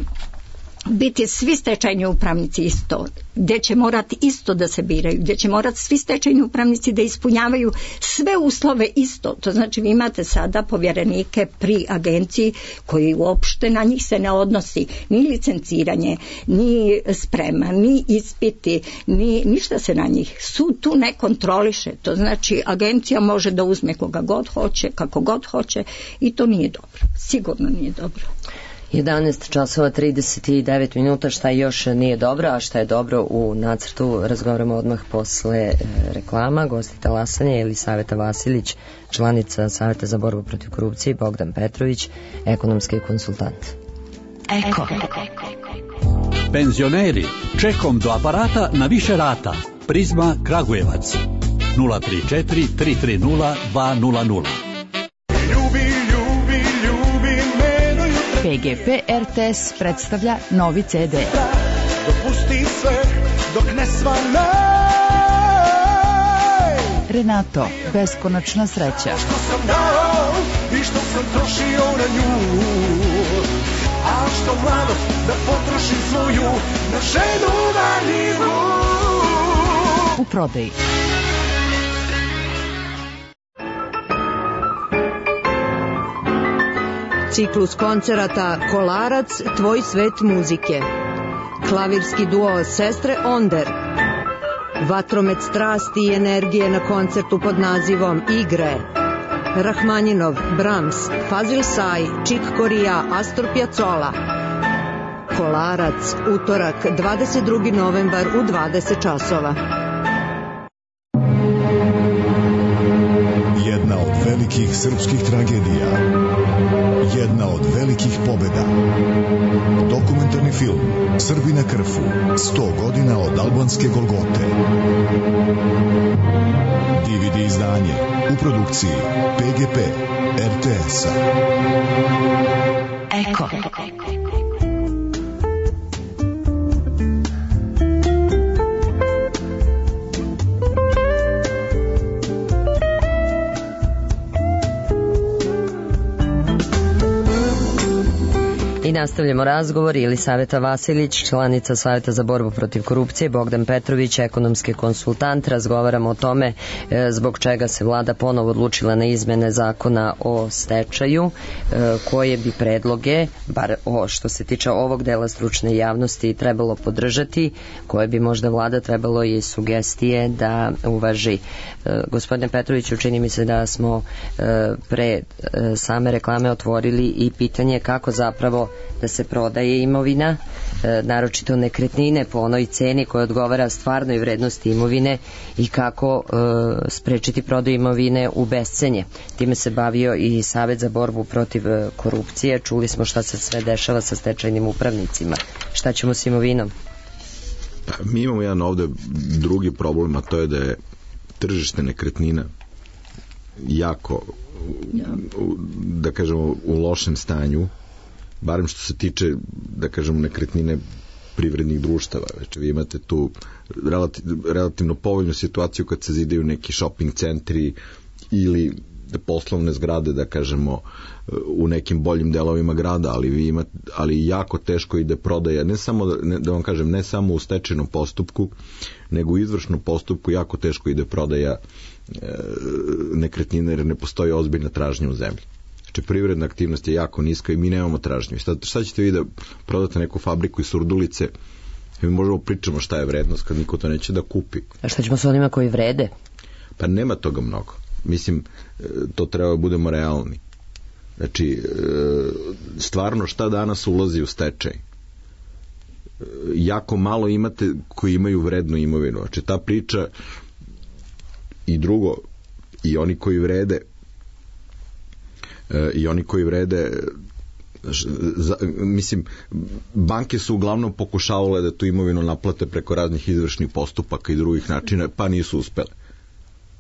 biti svi stečajni upravnici isto, gdje će morati isto da se biraju, gdje će morati svi stečajni upravnici da ispunjavaju sve uslove isto. To znači vi imate sada povjerenike pri agenciji koji uopšte na njih se ne odnosi ni licenciranje, ni sprema, ni ispiti, ni ništa se na njih. Sud tu ne kontroliše. To znači agencija može da uzme koga god hoće, kako god hoće i to nije dobro. Sigurno nije dobro.
11 časova 39 minuta, šta još nije dobro, a šta je dobro u nacrtu, razgovaramo odmah posle reklama. Gosti talasanja je Elisaveta Vasilić, članica Saveta za borbu protiv korupcije, i Bogdan Petrović, ekonomski konsultant.
Eko. Penzioneri, čekom do aparata na više rata. Prizma Kragujevac 034 330 200.
PGP RTS predstavlja novi CD.
Dopusti sve dok ne svane.
Renato, beskonačna sreća.
Što sam dao i što sam trošio na nju, a što mladost da potrošim svoju na ženu valjivu.
U prodaji.
Ciklus koncerata Kolarac, tvoj svet muzike. Klavirski duo Sestre Onder. Vatromet strasti i energije na koncertu pod nazivom Igre. Rahmaninov, Brahms, Fazil Say, Chick Corea, Astor Piazzolla. Kolarac, utorak, 22. novembar u 20 časova.
Jedna od velikih srpskih tragedija. Jedna od velikih pobjeda. Dokumentarni film Srbi na Krfu. 100 godina od albanske Golgote. DVD izdanje u produkciji PGP RTS-a.
Eko.
I nastavljamo razgovor. Elisaveta Vasilić, članica Saveta za borbu protiv korupcije, Bogdan Petrović, ekonomski konsultant. Razgovaramo o tome zbog čega se vlada ponovo odlučila na izmene zakona o stečaju, koje bi predloge, bar što se tiče ovog dela stručne javnosti, trebalo podržati, koje bi možda vlada trebalo i sugestije da uvaži. Gospodine Petroviću, čini mi se da smo pre same reklame otvorili i pitanje kako zapravo da se prodaje imovina, naročito nekretnine po onoj ceni koja odgovara stvarnoj vrednosti imovine i kako sprečiti prodaju imovine u bescenje. Time se bavio i Savet za borbu protiv korupcije. Čuli smo šta se sve dešava sa stečajnim upravnicima. Šta ćemo s imovinom?
Pa, mi imamo jedan ovde drugi problem, a to je da je tržište nekretnina jako, da kažemo, u lošem stanju, barem što se tiče, da kažemo, nekretnine privrednih društava. Znači, vi imate tu relativno povoljnu situaciju kad se zidaju neki shopping centri ili poslovne zgrade, da kažemo, u nekim boljim delovima grada, ali jako teško ide prodaja, ne samo, da vam kažem, ne samo u stečajnom postupku, nego u izvršnom postupku jako teško ide prodaja nekretnine, jer ne postoji ozbiljna tražnja u zemlji. Znači, privredna aktivnost je jako niska i mi nemamo tražnju. Šta ćete vi da prodate neku fabriku iz Surdulice? Mi možemo pričamo šta je vrednost kad niko to neće da kupi.
A šta ćemo s onima koji vrede?
Pa nema toga mnogo. Mislim, to treba da budemo realni. Znači, stvarno šta danas ulazi u stečaj? Jako malo imate koji imaju vrednu imovinu. Znači, ta priča i drugo, i oni koji vrede, mislim, banke su uglavnom pokušavale da tu imovinu naplate preko raznih izvršnih postupaka i drugih načina, pa nisu uspele.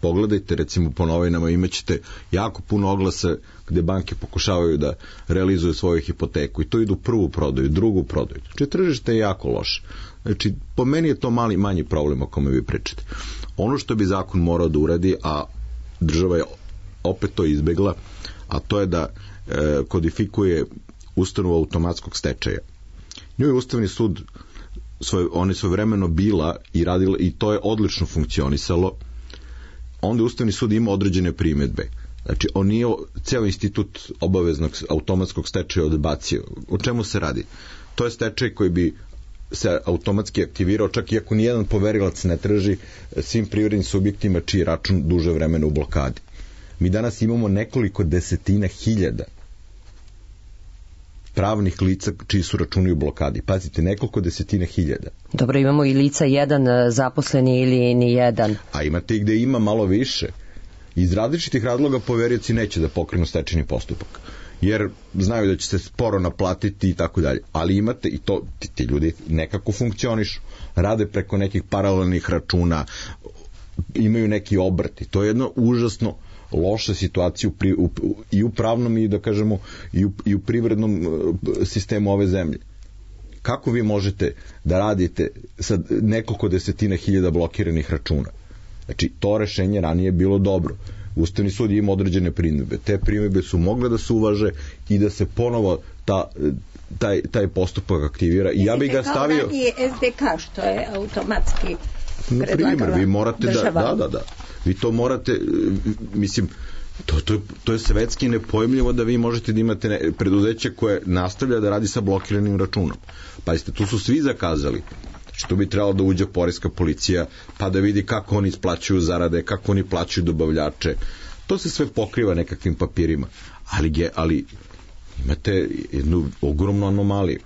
Pogledajte, recimo, po novinama imaćete jako puno oglasa gde banke pokušavaju da realizuju svoju hipoteku i to idu prvu prodaju, drugu prodaju. Znači, tržište je jako loše. Znači, po meni je to manji problem o kome vi pričate. Ono što bi zakon morao da uradi, a država je opet to izbegla, a to je da kodifikuje ustanovu automatskog stečaja. Nju je Ustavni sud on je svojevremeno bila i radila i to je odlično funkcionisalo. Onda je Ustavni sud ima određene primedbe. Znači, on nije ceo institut obaveznog automatskog stečaja odbacio. O čemu se radi? To je stečaj koji bi se automatski aktivirao, čak i ako nijedan poverilac ne traži, svim privrednim subjektima čiji račun duže vremena u blokadi. Mi danas imamo nekoliko desetina hiljada pravnih lica čiji su računi u blokadi. Pazite, nekoliko desetina hiljada.
Dobro, imamo i lica jedan zaposleni ili ni jedan.
A imate i gde ima malo više. Iz različitih razloga poverioci neće da pokrenu stečajni postupak. Jer znaju da će se sporo naplatiti i tako dalje. Ali imate i to, ti ljudi nekako funkcionišu. Rade preko nekih paralelnih računa, imaju neki obrt. To je jedno užasno loša situacija i u pravnom i da kažemo i u privrednom sistemu ove zemlje. Kako vi možete da radite sa nekoliko desetina hiljada blokiranih računa? Znači, to rešenje ranije je bilo dobro. Ustavni sud ima određene primedbe. Te primedbe su mogle da se uvaže i da se ponovo taj postupak aktivira. I ja bih ga stavio...
Kao ranije SDK, što je automatski predlagala država. Na primjer,
vi morate da. Vi to morate, mislim, to je svetski nepojmljivo da vi možete da imate preduzeće koje nastavlja da radi sa blokiranim računom. Pazite, tu su svi zakazali. Što bi trebalo da uđe poreska policija, pa da vidi kako oni isplaćuju zarade, kako oni plaćaju dobavljače. To se sve pokriva nekakvim papirima. Ali imate jednu ogromnu anomaliju.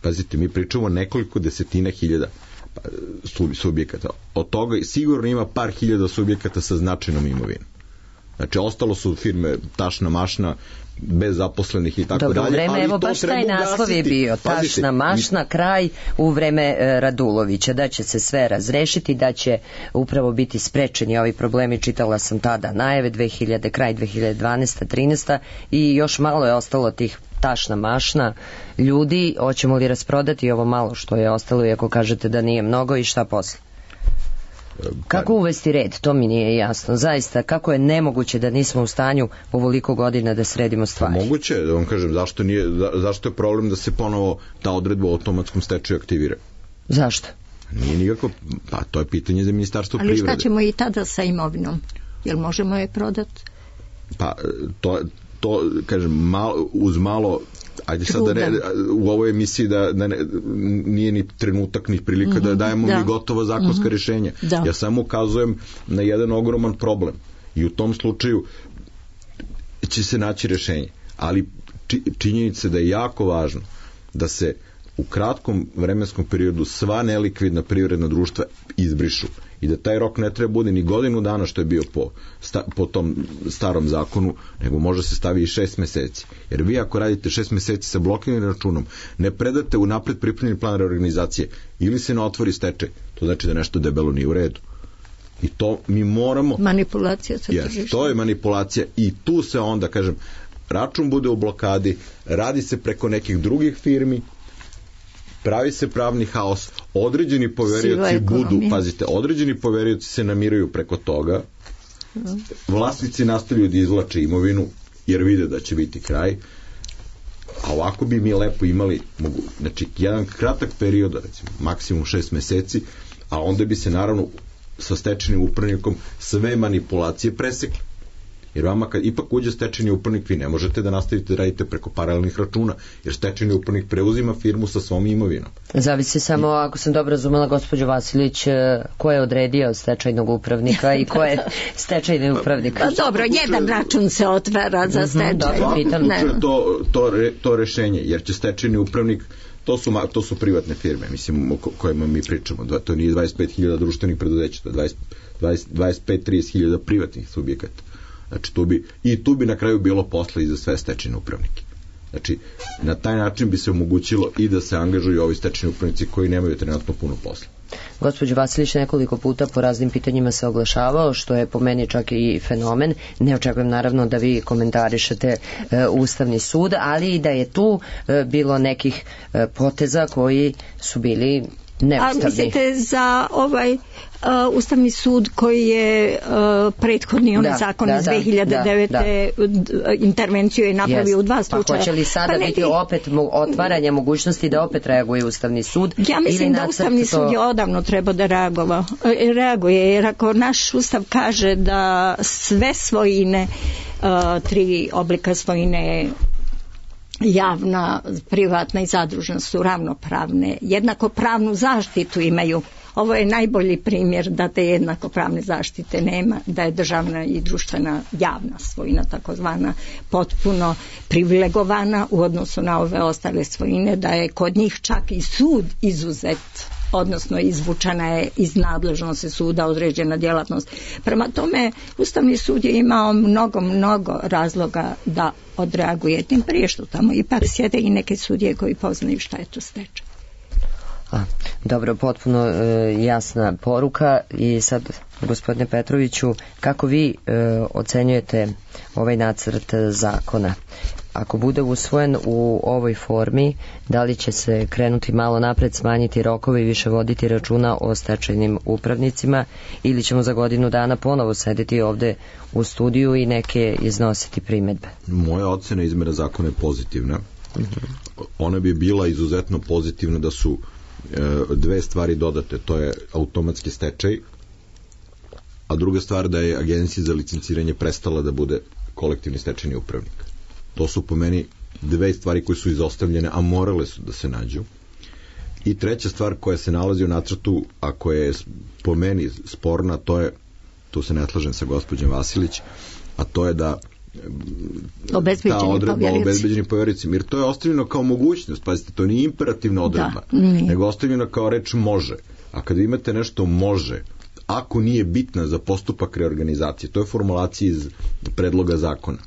Pazite, mi pričamo nekoliko desetina hiljada subjekata. Od toga sigurno ima par hiljada subjekata sa značajnom imovinom. Znači, ostalo su firme tašna mašna, bez zaposlenih i tako dalje.
Dobro, u vreme, evo baš taj naslov je bio, tašna mašna, kraj u vreme Radulovića, da će se sve razrešiti, da će upravo biti sprečeni ovi problemi, čitala sam tada najave, kraj 2012. 13. i još malo je ostalo tih tašna mašna ljudi. Hoćemo li rasprodati ovo malo što je ostalo, iako kažete da nije mnogo, i šta posle? Kako uvesti red? To mi nije jasno. Zaista, kako je nemoguće da nismo u stanju ovoliko godina da sredimo stvari?
Moguće, da vam kažem, zašto je problem da se ponovo ta odredba o automatskom stečaju aktivira?
Zašto?
Nije nikako, pa to je pitanje za Ministarstvo privrede.
Ali šta ćemo i tada sa imovinom? Jel možemo je prodati?
Pa, to kažem, uz malo, ajde sad u ovoj emisiji da nije ni trenutak ni prilika da dajemo mi gotova zakonska rješenja. Ja samo ukazujem na jedan ogroman problem i u tom slučaju će se naći rješenje. Ali činjenica da je jako važno da se u kratkom vremenskom periodu sva nelikvidna privredna društva izbrišu i da taj rok ne treba bude ni godinu dana što je bio po tom starom zakonu, nego može se stavi i 6 meseci. Jer vi ako radite 6 meseci sa blokiranim računom, ne predate u napred pripremljeni plan reorganizacije ili se ne otvori stečaj, to znači da nešto debelo nije u redu. I to mi moramo...
Manipulacija sa tržištem.
To je manipulacija i tu se onda, kažem, račun bude u blokadi, radi se preko nekih drugih firmi, pravi se pravni haos, određeni poverioci pazite, određeni poverioci se namiraju preko toga, vlasnici nastavljaju da izvlače imovinu, jer vide da će biti kraj, a ovako bi mi lepo imali, znači, jedan kratak period, recimo, maksimum 6 meseci, a onda bi se, naravno, sa stečajnim upravnikom sve manipulacije presekli. Jer vama kad ipak uđe stečajni upravnik, vi ne možete da nastavite da radite preko paralelnih računa, jer stečajni upravnik preuzima firmu sa svom imovinom.
Zavisi samo, ako sam dobro razumela, gospođo Vasilić, ko je odredio stečajnog upravnika i ko je stečajni upravnik?
Pa dobro, jedan račun se otvara za stečaj.
To rešenje, jer će stečajni upravnik, to su privatne firme, mislim, o kojima mi pričamo. To nije 25.000 društvenih preduzeća, to je 25-30.000 privatnih subjekata. Znači, tu bi na kraju bilo posla i za sve stečajne upravnike. Znači, na taj način bi se omogućilo i da se angažuju ovi stečajni upravnici koji nemaju trenutno puno posla.
Gospođo Vasilić nekoliko puta po raznim pitanjima se oglašavao, što je po meni čak i fenomen. Ne očekujem naravno da vi komentarišete Ustavni sud, ali i da je tu bilo nekih poteza koji su bili neustavni.
A mislite za ovaj Ustavni sud koji je prethodni onaj zakon iz 2009. Intervenciju je napravio u 2 slučaja.
Pa hoće li sada biti opet otvaranje mogućnosti da opet reaguje Ustavni sud?
Ja mislim da Ustavni sud je odavno treba da reaguje, jer ako naš Ustav kaže da sve svojine, 3 oblika svojine, javna, privatna i zadružna, su ravnopravne, jednakopravnu zaštitu imaju. Ovo je najbolji primjer da te jednakopravne zaštite nema, da je državna i društvena javna svojina takozvana potpuno privilegovana u odnosu na ove ostale svojine, da je kod njih čak i sud izuzet, odnosno izvučena je iz nadležnosti suda određena djelatnost. Prema tome, Ustavni sud je imao mnogo razloga da odreaguje, tim prije što tamo ipak sjede i neke sudije koji poznaju šta je to stečaj.
Dobro, potpuno jasna poruka. I sad, gospodine Petroviću, kako vi ocenjujete ovaj nacrt zakona? Ako bude usvojen u ovoj formi, da li će se krenuti malo napred, smanjiti rokove i više voditi računa o stečajnim upravnicima, ili ćemo za godinu dana ponovo sedeti ovde u studiju i neke iznositi primedbe?
Moja ocena izmjena zakona je pozitivna. Ona bi bila izuzetno pozitivna da su 2 stvari dodate, to je automatski stečaj, a druga stvar da je Agencija za licenciranje prestala da bude kolektivni stečajni upravnik. To su po meni 2 stvari koje su izostavljene, a morale su da se nađu. I treća stvar koja se nalazi u nacrtu, a koja je po meni sporna, to je, tu se ne slažem sa gospođom Vasilić, a to je da ta odredba o obezbeđenim povjericima, jer to je ostavljeno kao mogućnost, pazite, to nije imperativna odredba, nego ostavljeno kao reč može. A kada imate nešto može, ako nije bitna za postupak reorganizacije, to je formulacija iz predloga zakona.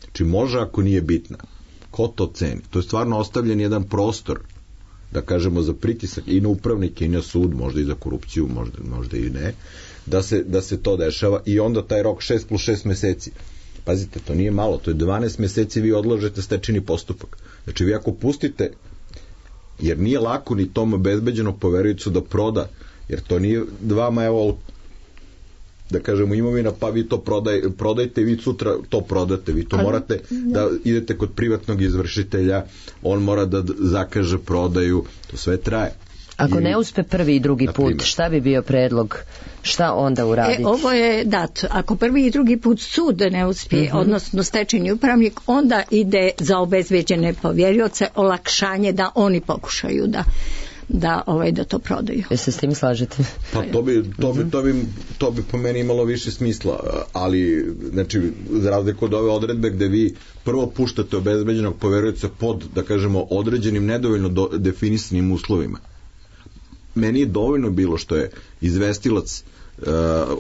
Znači može ako nije bitna. Ko to ceni? To je stvarno ostavljen jedan prostor, da kažemo, za pritisak i na upravnike i na sud, možda i za korupciju, možda i ne, da se to dešava, i onda taj rok 6+6 meseci. Pazite, to nije malo, to je 12 meseci vi odlažete stečajni postupak. Znači vi ako pustite, jer nije lako ni tom obezbeđenog poveriocu da proda, jer to nije vama, evo, da kažemo, imovina, pa vi to prodajte, vi sutra to prodate, vi to morate da idete kod privatnog izvršitelja, on mora da zakaže prodaju, to sve traje.
Ako ne uspe prvi i drugi put, šta bi bio predlog? Šta onda uraditi?
Ovo je dat. Ako prvi i drugi put sud ne uspije, odnosno stečajni upravnik, onda ide za obezbeđene povjerioce olakšanje da oni pokušaju da to prodaju.
Se s tim slažete?
Pa to bi po meni imalo više smisla, ali znači za razliku od ove odredbe gde vi prvo puštate obezbeđenog poverioca pod, da kažemo, određenim nedovoljno definisanim uslovima. Meni je dovoljno bilo što je izvestilac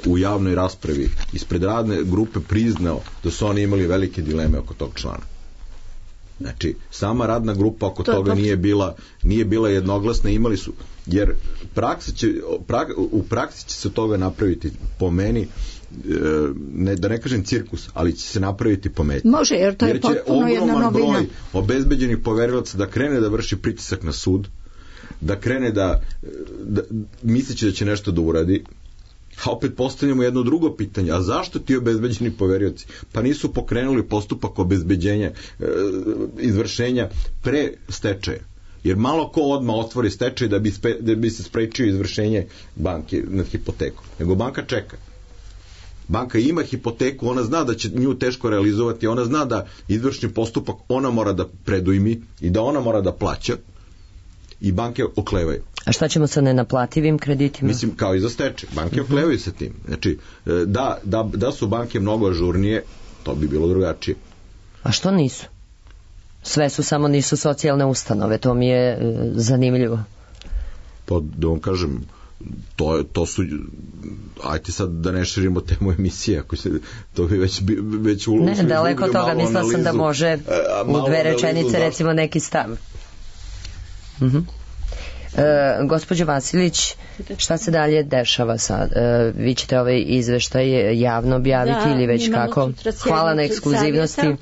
u javnoj raspravi ispred radne grupe priznao da su oni imali velike dileme oko tog člana. Znači, sama radna grupa oko toga nije bila jednoglasna, imali su, jer u praksi će se toga napraviti, po meni, da ne kažem cirkus, ali će se napraviti pometnje.
Može, jer to je potpuno jedna novina. Jer će ogroman
broj obezbeđenih poverilaca da krene da vrši pritisak na sud, da krene da misleći da će nešto da uradi, a opet postavljamo jedno drugo pitanje, a zašto ti obezbeđeni poverioci? Pa nisu pokrenuli postupak obezbeđenja, izvršenja pre stečaja. Jer malo ko odmah otvori stečaj da bi se sprečio izvršenje banke nad hipotekom. Nego banka čeka. Banka ima hipoteku, ona zna da će nju teško realizovati, ona zna da izvršni postupak ona mora da predujmi i da ona mora da plaća, i banke oklevaju.
A šta ćemo sa nenaplativim kreditima?
Mislim, kao i za stečaj. Banke oklevaju sa tim. Znači, da su banke mnogo ažurnije, to bi bilo drugačije.
A što nisu? Sve su, samo nisu socijalne ustanove. To mi je zanimljivo.
Pa, da vam kažem, to su, ajte sad da ne širimo temu emisije, ako se to bi već
ne, daleko toga, mislila sam da može u 2 rečenice recimo neki stav. Gospođo Vasilić, šta se dalje dešava sad? Vi ćete ovaj izveštaj javno objaviti ili već kako? Hvala na ekskluzivnosti.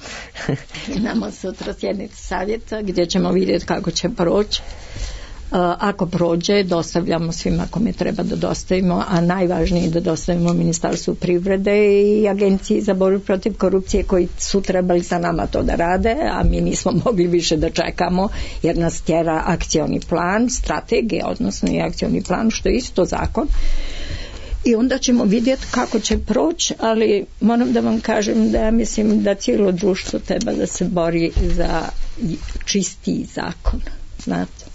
Imamo sutra sjednicu savjeta gdje ćemo vidjeti kako će proći. Ako prođe, dostavljamo svima kome treba da dostavimo, a najvažnije je da dostavimo Ministarstvu privrede i Agenciji za borbu protiv korupcije koji su trebali sa nama to da rade, a mi nismo mogli više da čekamo jer nas tjera akcioni plan, strategija, odnosno i akcioni plan, što je isto zakon. I onda ćemo vidjeti kako će proći, ali moram da vam kažem da ja mislim da cijelo društvo treba da se bori za čistiji zakon, znate.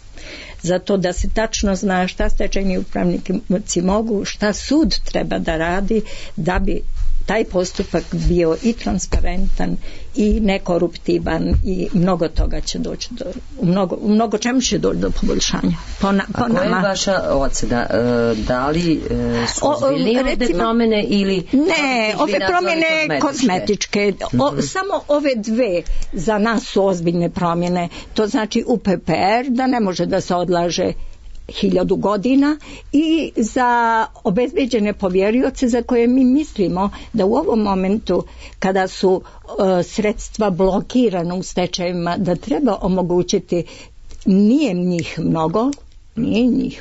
Zato da se tačno zna šta stečajni upravnici mogu, šta sud treba da radi da bi taj postupak bio i transparentan i nekoruptivan i mnogo toga će doći do, u mnogo čemu će doći do poboljšanja.
A koja je vaša ocena? Da li su ozbiljnije ovde promjene ili...
Ne, ove promjene kozmetičke. Samo ove dve za nas su ozbiljne promjene. To znači UPPR da ne može da se odlaže 1000 godina i za obezbeđene povjerioce za koje mi mislimo da u ovom momentu kada su sredstva blokirana u stečajima da treba omogućiti, nije njih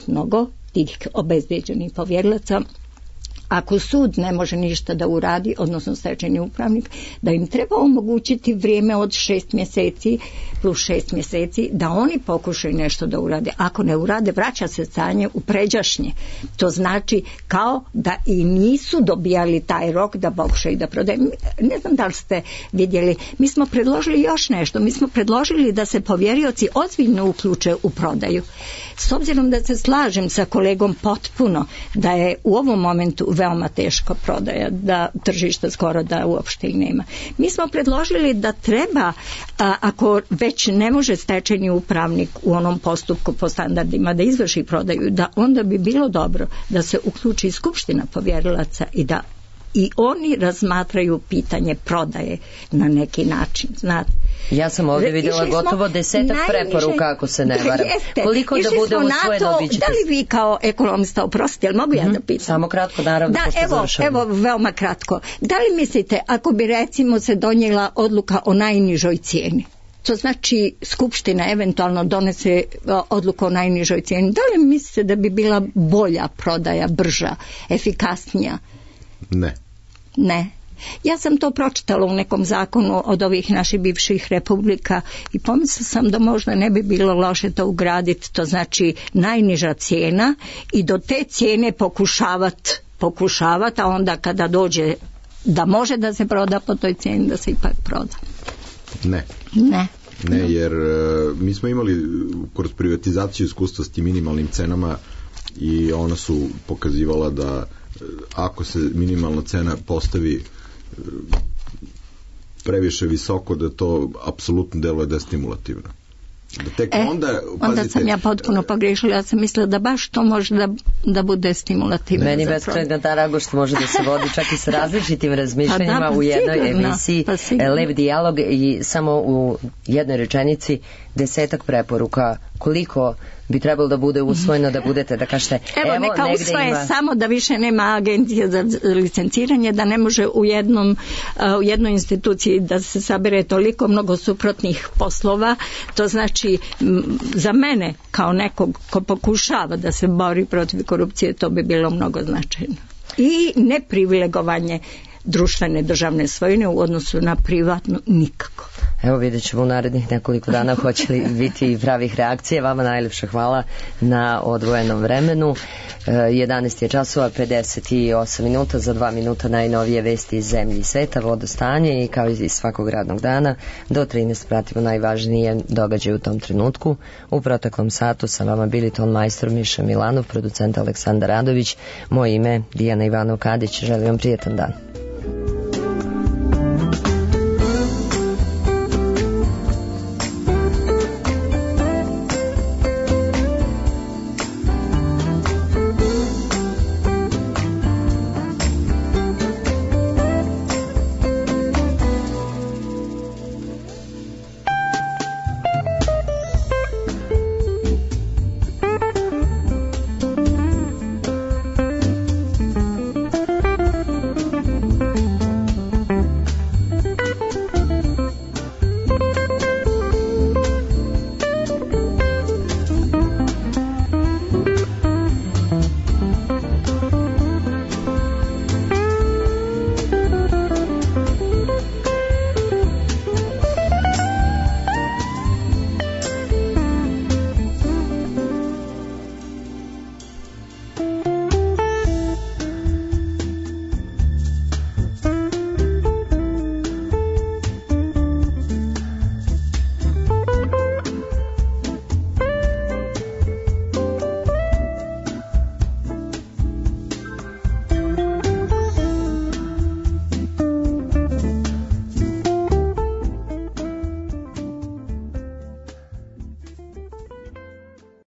mnogo tih obezbeđenih povjerilaca. Ako sud ne može ništa da uradi, odnosno stečajni upravnik, da im treba omogućiti vrijeme od 6 mjeseci plus 6 mjeseci da oni pokušaju nešto da urade. Ako ne urade, vraća se stanje u pređašnje. To znači kao da i nisu dobijali taj rok da pokušaju da prodaju. Ne znam da li ste vidjeli, mi smo predložili još nešto. Mi smo predložili da se povjerioci ozbiljno uključe u prodaju. S obzirom da se slažem sa kolegom potpuno da je u ovom momentu veoma teška prodaja, da tržišta skoro da uopšte i nema. Mi smo predložili da treba, ako već ne može stečajni upravnik u onom postupku po standardima da izvrši prodaju, da onda bi bilo dobro da se uključi skupština povjerilaca i da i oni razmatraju pitanje prodaje na neki način, znate.
Ja sam ovdje vidjela gotovo 10 preporuka, ako se ne varam. Koliko da bude usvojeno, vi ćete...
Da li vi kao ekonomista, oprostite, jel mogu ja da pitam?
Samo kratko, naravno, pošto završamo.
Evo, veoma kratko. Da li mislite, ako bi recimo se donijela odluka o najnižoj cijeni, to znači skupština eventualno donese odluku o najnižoj cijeni, da li mislite da bi bila bolja prodaja, brža, efikasnija? Ne. Ja sam to pročitala u nekom zakonu od ovih naših bivših republika i pomislila sam da možda ne bi bilo loše to ugraditi, to znači najniža cijena i do te cijene pokušavati, a onda kada dođe da može da se proda po toj cijeni, da se ipak proda.
Ne, jer mi smo imali kroz privatizaciju iskustva s tim minimalnim cenama i ona su pokazivala da ako se minimalna cena postavi previše visoko, da to apsolutno deluje destimulativno. Da tek
onda sam ja potpuno pogrešila, ja sam mislila da baš to može da bude stimulativno.
Meni beskrajna ta radost može da se vodi čak i s različitim razmišljanjima u jednoj emisiji Lev dijalog i samo u jednoj rečenici 10 preporuka koliko bi trebalo da bude usvojeno, da budete, da kažete
evo neka usvoje samo da više nema agencije za licenciranje, da ne može u jednoj instituciji da se sabere toliko mnogo suprotnih poslova. To znači za mene kao nekog ko pokušava da se bori protiv korupcije, to bi bilo mnogo značajno. I neprivilegovanje društvene državne svojine u odnosu na privatnu nikako.
Evo vidjet ćemo u narednih nekoliko dana hoće li biti pravih reakcija. Vama najljepša hvala na odvojenom vremenu. 11 je časova 58 minuta, za 2 minuta najnovije vesti iz zemlje i sveta, vodostanje i kao i svakog radnog dana do 13 pratimo najvažnije događaje u tom trenutku. U proteklom satu sa vama bili ton majstor Miša Milanov, producent Aleksandar Radović, moje ime Dijana Ivanov Kadić, želim vam prijetan dan.